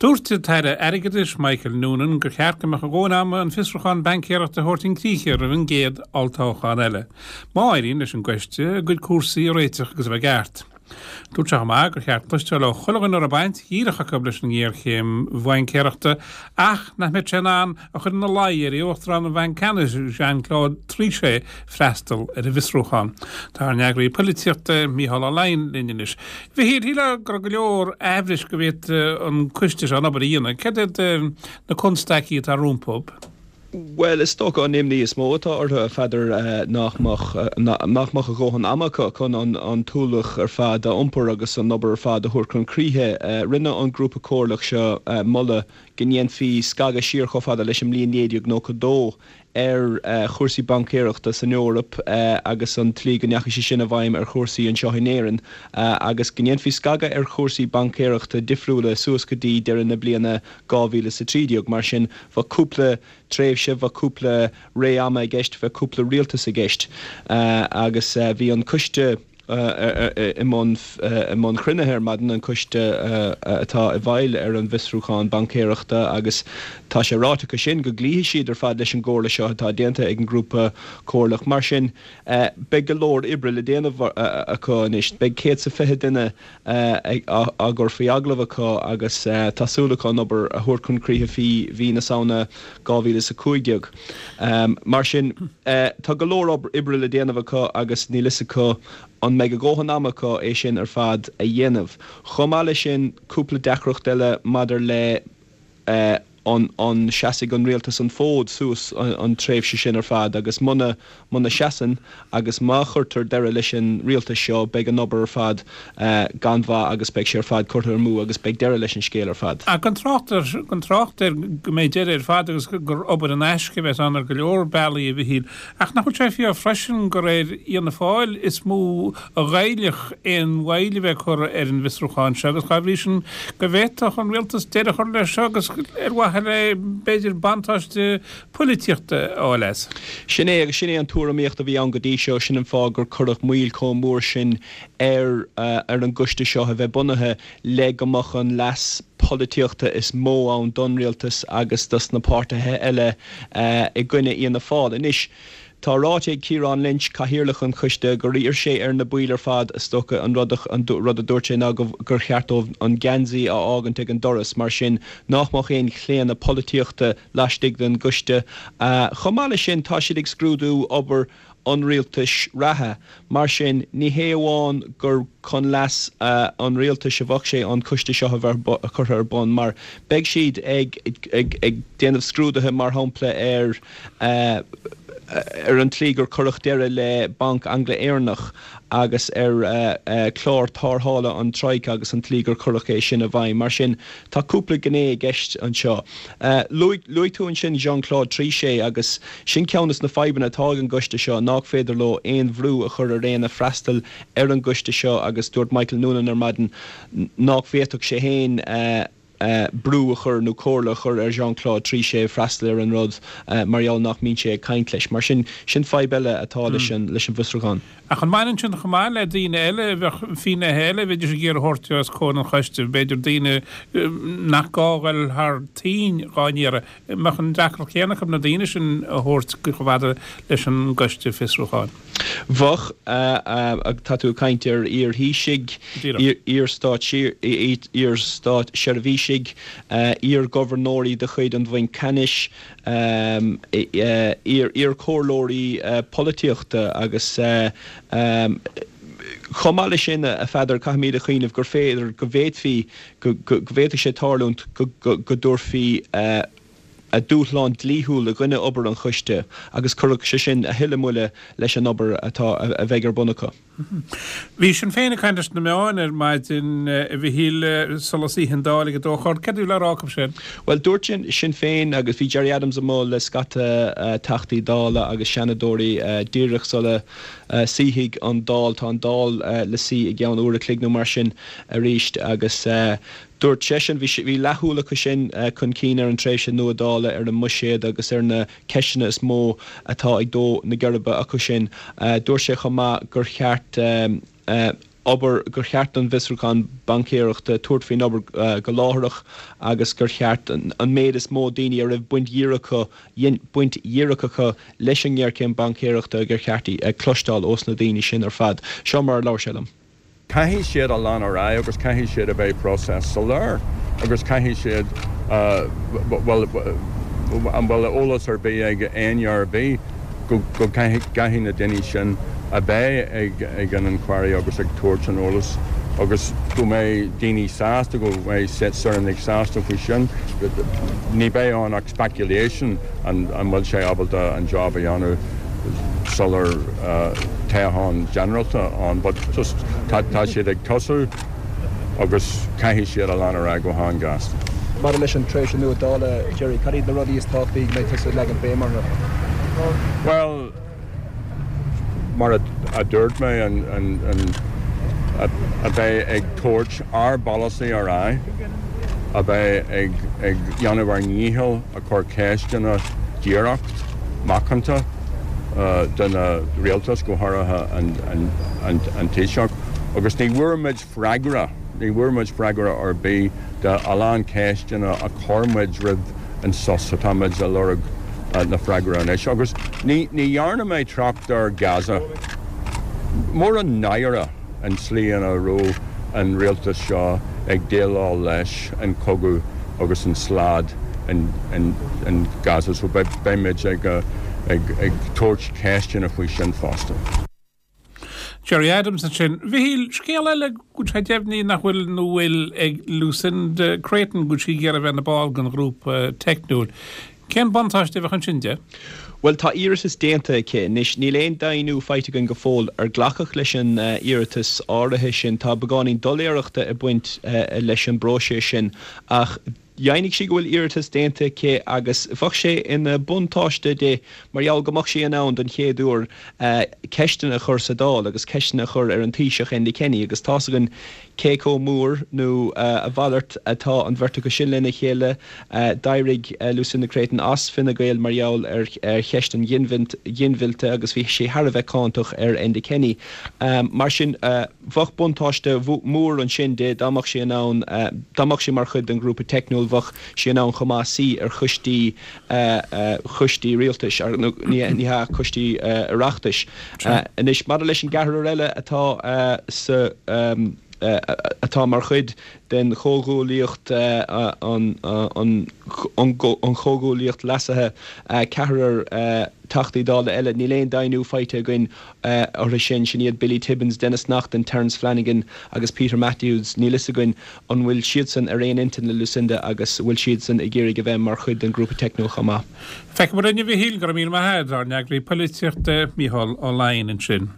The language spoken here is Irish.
Dúirt an tAire Airgeadais Michael Noonan gur cheart go mbeadh a dhóthain ama an fiosrúchán baincéireachta a thabhairt chun críche roimh an gcéad olltoghchán eile, má éiríonn leis an gcoiste a gcuid cúrsaí a réiteach agus a bheith i gceart. Dúirt sé chomh maith gur cheart cloisteáil ó chuile dhuine a raibh baint dhíreach acu leis an ngéarchéim bhaincéireachta ach nach mbeadh sé in ann a chur ina luí ar Uachtarán an Bhainc Ceannais Jean-Claude Trichet freastal ar an bhfiosrúchán. Tá ár n-eagraí poilitíochta Mícheál Ó Leidhin linn anois. A Mhichíl, shílfeá go raibh go leor aimhris go bhféadfadh an coiste seo an obair a dhéanamh. Céard iad na constaicí atá rompu? Bhuel, is dócha an imní is mó atá orthu, a Pheadair, nach mbeadh, nach mbeadh a dhóthain ama acu chun an t-ualach ar fad a iompar agus an obair ar fad a thabhairt chun críche. Rinne an grúpa comhairleach seo moladh go ndéanfaí scagadh siar chomh fada leis an mbliain 1992 ar chúrsaí baincéireachta san Eoraip agus an tslí go ndeachaigh sé sin i bhfeidhm ar chúrsaí anseo in Éirinn agus go ndéanfaí scagadh ar chúrsaí baincéireachta difriúla suas go dtí deireadh na bliana 2013. Mar sin, bheadh cúpla tréimhse, bheadh cúpla ré ama i gceist, bheadh cúpla rialtas i gceist agus bhí an coiste i mbun i mbun cruinnithe ar maidin, an coiste atá i bhfeighil ar an bhfiosrúchán baincéireachta agus tá sé ráite acu sin go gcloífidh siad ar fad leis an gcomhairle seo atá déanta ag an ngrúpa comhairleach. Mar sin, beidh go leor oibre le déanamh acu anois. Beidh 120 duine á gcur faoi agallamh acu agus tá súil acu an obair a thabhairt chun críche faoi mhí na Samhna 2015. Mar sin, tá go leor oibre le déanamh acu agus níl fhios acu an mbeidh a dhóthain ama acu é sin ar fad a dhéanamh. Chomh maith leis sin, cúpla deacracht eile maidir le an seasfaidh an rialtas an fód suas an tréimhse sin ar fad agus muna muna seasann agus má chuirtear deireadh leis an rialtas seo beidh an obair ar fad gan mhaith agus beidh sé ar fad curtha amú agus beidh deireadh leis an scéal ar fad. Ach gan trácht ar gan trácht ar go mbeidh deireadh ar fad agus gur obair in aisce a bheas ann ar go leor bealaí a Mhichíl. Ach nach bhfuil sé fíor freisin gur ar Fhianna Fáil is mó a ghoillfeadh aon mhoill a bheith curtha ar an bhfiosrúchán seo agus dá bhrí sin go bhféadfadh an rialtas deireadh a chur leis seo agus ar mhaithe le, b'fhéidir, buntáiste poilitíochta a fháil as. Sin é agus sin é an tuairimíocht a bhí ann go dtí seo. Sin an fáth gur cuireadh moill chomh mór sin ar ar an gcoiste seo a bheith bunaithe le go mbeadh an leas polaitíochta is mó ann don rialtas agus dos na páirtithe eile i gcoinne Fhianna Fáil. Anois, tá ráite ag Ciarán Lynch, cathaoirleach an choiste, gur iarr sé ar na baill ar fad, is dócha, an rud an rud a dúirt sé ná go gur cheart dóibh an geansaí a fhágaint ag an doras, mar sin nách mbeadh aon chlaonadh polaitíochta laistigh den gcoiste. Chomh maith leis sin, tá siad ag scrúdú obair an rialtais reatha. Mar sin, ní hé amháin gur chun leas an rialtais a bheadh sé an coiste seo a bheith curtha ar bun, mar beidh siad ag déanamh scrúduithe, mar shampla, ar ar an tslí gur cuireadh deireadh le Banc Angla-Éireannach agus ar chlár tarrthála an Troika agus an tslí gur cuireadh é sin i bhfeidhm. Mar sin, tá cúpla gné i gceist anseo. Luaigh tú ansin Jean-Claude Trichet agus sin ceann des na fadhbanna atá ag an gcoiste seo, nách féidir leo aon bhrú a chur ar éinne freastal ar an gcoiste seo agus dúirt Michael Noonan ar maidin nách bhféadfadh sé féin brú a chur nó comhairle a chur ar Jean-Claude Trichet freastal ar an rud mar gheall nach mbíonn sé ag caint leis. Mar sin, sin fadhb eile atá leis an bhfiosrúchán. Ach an mbaineann sin chomh maith le daoine eile, a bheadh finnéithe eile a bheidís ag iarraidh a thabhairt os comhair an choiste, b'fhéidir daoine nach gá a dhul thar toinn dhá n-iarraidh, an mbeadh an deacracht chéanna acu na daoine sin a thabhairt chomh fada leis an gcoiste fiosrúcháin? Bheadh. Tá tú ag caint ar iar-Thaoisigh, iar-státseirbhísigh, iar-ghobharnóirí de chuid an Bhainc Ceannais, iar-chomhairleoirí polaitíochta agus chomh maith leis sin, a Pheadair, caithfimid a chuimhneamh gur féidir, go bhféadfaí, go bhféadfadh sé tarlúint go dtabharfaí dúshlán dlíthiúil i gcoinne obair an choiste agus chuirfeadh sé sin a thuilleadh moille leis an obair atá, a bheidh ar bun acu. Bhí Sinn Féin ag caint leis na meáin ar maidin, a Mhichíl, sula suífidh an Dáil ag a dó a chlog. Céard a bhí le rá acu sin? Bhuel, dúirt Sinn Féin, agus bhí Gerry Adams amuigh le scata Teachtaí Dála agus Seanadóirí díreach sula suífidh an Dáil, tá an Dáil le suí i gceann uair a chloig nó mar sin arís, agus dúirt seisean, bhí leathshúil acu sin chun cinn ar an tréimhse nua Dála, ar an mbuiséad agus ar na ceisteanna is mó atá ag dó na geirbe acu sin. Dúirt sé chomh maith gur cheart. obair, gur cheart don bhfiosrúchán baincéireachta tabhairt faoin obair go láithreach agus gur cheart an méid is mó daoine a raibh baint dhíreach acu, baint dhíreach acu leis an ngéarchéim baincéireachta, gur cheart cloisteáil ós na daoine sin ar fad. Seo mar a labhair sé liom. Caithfidh siad a lean ar aghaidh agus caithfidh siad a bheith process soiléir agus caithfidh siad, bhuel, an bhfuil eolas ar bith ag éinne ar bith go gcaithfidh na daoine sin a bheith ag an inquiry agus ag tabhairt an eolas agus go mbeidh daoine sásta, go mbeidh saoránaigh sásta faoi sin. Ní bheidh ann ach speculation an bhfuil sé ábalta an job a dhéanamh sular toghchán ginearálta ann but just tá siad ag tosú agus caithfidh siad a lean ar aghaidh go han-ghasta. Maidir leis an tréimhse nua Dála, Gerry, cad iad na rudaí is tábhachtaí go mbeidh tusa ag leagan béim orthu? Bhuel, mar a dúirt mé, an a bheith ag tabhairt ár bpolasaí ar aghaidh, a bheith ag dhéanamh ár ndícheall a chur ceisteanna díreach, macánta do na rialtas, go háirithe an Taoiseach, agus ní bhfuair muid freagra, ní bhfuair muid freagra ar bith do a lán ceisteanna a chuir muid roimh an sos, tá muid a lorg na freagra anois. Agus ní dhearna mé trácht ar Gaza. Mór an náire an tslí ina raibh an rialtas seo ag déileáil leis an cogadh agus an slad in Gaza so beidh muid ag tabhairt ceisteanna faoi sin fosta. Gerry Adams ansin. A Mhichíl, scéal eile go bhfuil sé deimhnithe nach bhfuil nó bhfuil ag Lucinda Creighton go bhfuil sí ag iarraidh a bheith ina ball den ghrúpa teicniúil. Cén buntáiste a bheadh ansin di? Bhuel, tá iarratas déanta aici. Anois, níl aon deimhniú faighte againn go fóill ar glacadh leis an iarratas áirithe sin. Tá beagáinín doiléireachta ag baint leis an bpróiseas sin ach Dheimhnigh sí go bhfuil iarratas déanta aici agus bheadh sé ina buntáiste di mar gheall go mbeadh sí in ann don chéad uair ceisteanna a chur sa Dáil agus ceisteanna a chur ar an Taoiseach Enda Kenny agus tá's againn cé chomh mór nó a mhalairt atá an bheirt acu sin lena chéile. D'éirigh Lucinda Creighton as Fine Gael mar gheall ar cheist an ghinmhillte agus bhí sí thar a bheith cáinteach ar Enda Kenny. Mar sin. Bheadh buntáiste mór ansin di dá mbeadh sí in ann, dá mbeadh sí mar chuid den ghrúpa teicniúil, bheadh sí in ann chomh maith suí ar choistí, choistí rialtais, nó ní hea, coistí Oireachtais. Anois, maidir leis an gceathrar eile atá sa, atá mar chuid den chomhghuaillíocht, an chomhghuaillíocht leasaithe, ceathrar Teachtaí Dála eile, níl aon deimhniú faighte againn orthu sin, sin iad Billy Tibbons, Denis Naughten, Terence Flanagan agus Peter Matthews. Níl fhios againn an bhfuil siadsan ar aon intinn le Lucinda agus an bhfuil siadsan ag iarraidh a bheith mar chuid den ghrúpa teicniúil chomh maith. Feicfimid linn, a Mhichíl, go raibh míle maith agat, ár n-eagraí polaitíochta, Micheál Ó Laighin ansin.